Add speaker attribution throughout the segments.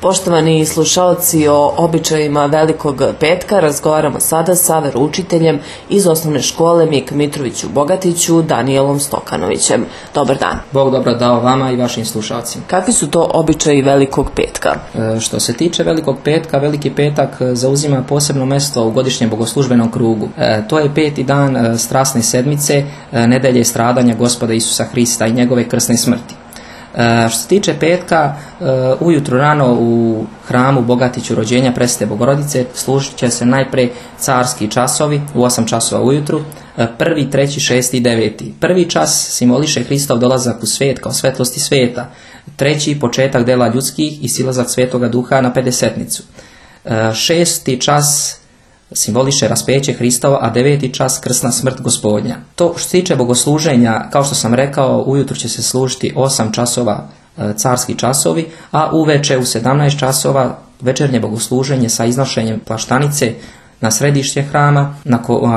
Speaker 1: Poštovani slušalci, o običajima Velikog petka razgovaramo sada sa veroučiteljem iz osnovne škole Mika Mitrović u Bogatiću, Danijelom Stokanovićem. Dobar dan.
Speaker 2: Bog dobro dao vama i vašim slušalcima.
Speaker 1: Kakvi su to običaji Velikog petka?
Speaker 2: Što se tiče Velikog petka, Veliki petak zauzima posebno mesto u godišnjem bogoslužbenom krugu. To je 5. dan strasne sedmice, nedelje stradanja Gospoda Isusa Hrista i njegove krsne smrti. Što se tiče petka, ujutro rano u hramu Bogatiću rođenja Presvete Bogorodice služit će se najpre carski časovi u 8 časova ujutru, 1., 3., 6. i 9. Prvi čas simboliše Hristov dolazak u svijet kao svetlosti svijeta, 3. početak dela ljudskih i silazak Svetoga Duha na Pedesetnicu, 6. čas simboliše raspeće Hristova, a 9. čas krsna smrt Gospodnja. To što se tiče bogosluženja, kao što sam rekao, ujutro će se služiti 8 časova carski časovi, a uveče u 17 časova večernje bogosluženje sa iznošenjem plaštanice na središte hrama.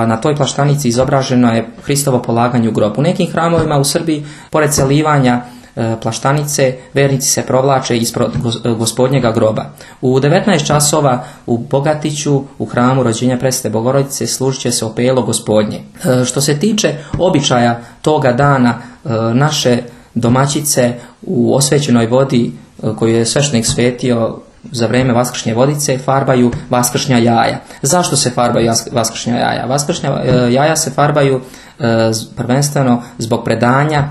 Speaker 2: Na toj plaštanici izobraženo je Hristovo polaganje u grob. U nekim hramovima u Srbiji, pored celivanja plaštanice, vernici se provlače ispred Gospodnjega groba. U 19 časova u Bogatiću, u hramu rođenja Presvete Bogorodice, služit će se opelo Gospodnje. Što se tiče običaja toga dana, naše domaćice u osvećenoj vodi koju je sveštenik svetio za vrijeme vaskršnje vodice farbaju vaskršnja jaja. Zašto se farbaju vaskršnja jaja? Vaskršnja jaja se farbaju prvenstveno zbog predanja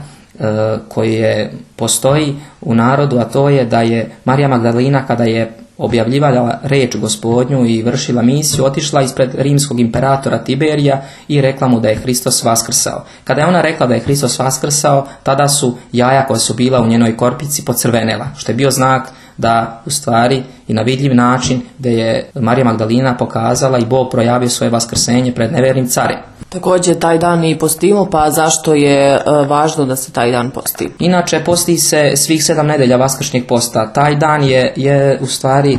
Speaker 2: koje postoji u narodu, a to je da je Marija Magdalina, kada je objavljivala reč Gospodnju i vršila misiju, otišla ispred rimskog imperatora Tiberija i rekla mu da je Hristos vaskrsao. Kada je ona rekla da je Hristos vaskrsao, tada su jaja koja su bila u njenoj korpici pocrvenela, što je bio znak da u stvari i na vidljiv način da je Marija Magdalina pokazala i Bog projavio svoje vaskrsenje pred nevernim carem.
Speaker 1: Također taj dan i postimo, pa zašto je važno da se taj dan posti?
Speaker 2: Inače, posti se svih 7 nedelja vaskršnjeg posta. Taj dan je u stvari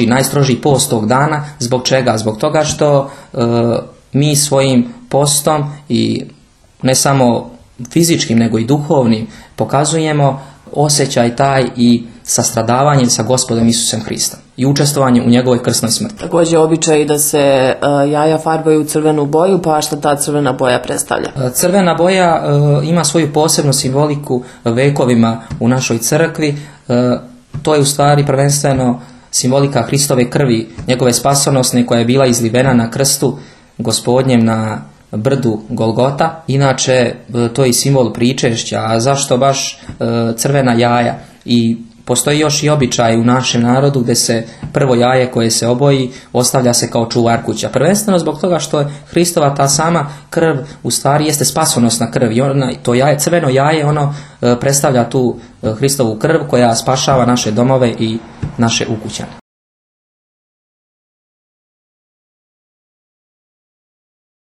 Speaker 2: najstrožiji post tog dana. Zbog čega? Zbog toga što mi svojim postom i ne samo fizičkim nego i duhovnim pokazujemo osjećaj taj i sastradavanje sa Gospodom Isusem Hristom i učestvovanje u njegovoj krsnoj smrti.
Speaker 1: Također običaj da se jaja farbaju u crvenu boju, pa šta ta crvena boja predstavlja?
Speaker 2: Crvena boja ima svoju posebnu simboliku vekovima u našoj crkvi. To je u stvari prvenstveno simbolika Hristove krvi, njegove spasonosne koja je bila izlivena na krstu Gospodnjem na brdu Golgota. Inače, to je i simbol pričešća. A zašto baš crvena jaja? I postoji još i običaj u našem narodu gdje se prvo jaje koje se oboji ostavlja se kao čuvar kuća. Prvenstveno zbog toga što je Hristova ta sama krv u stvari jeste spasonosna krv. I to jaje, crveno jaje, ono predstavlja tu Hristovu krv koja spašava naše domove i naše ukućane.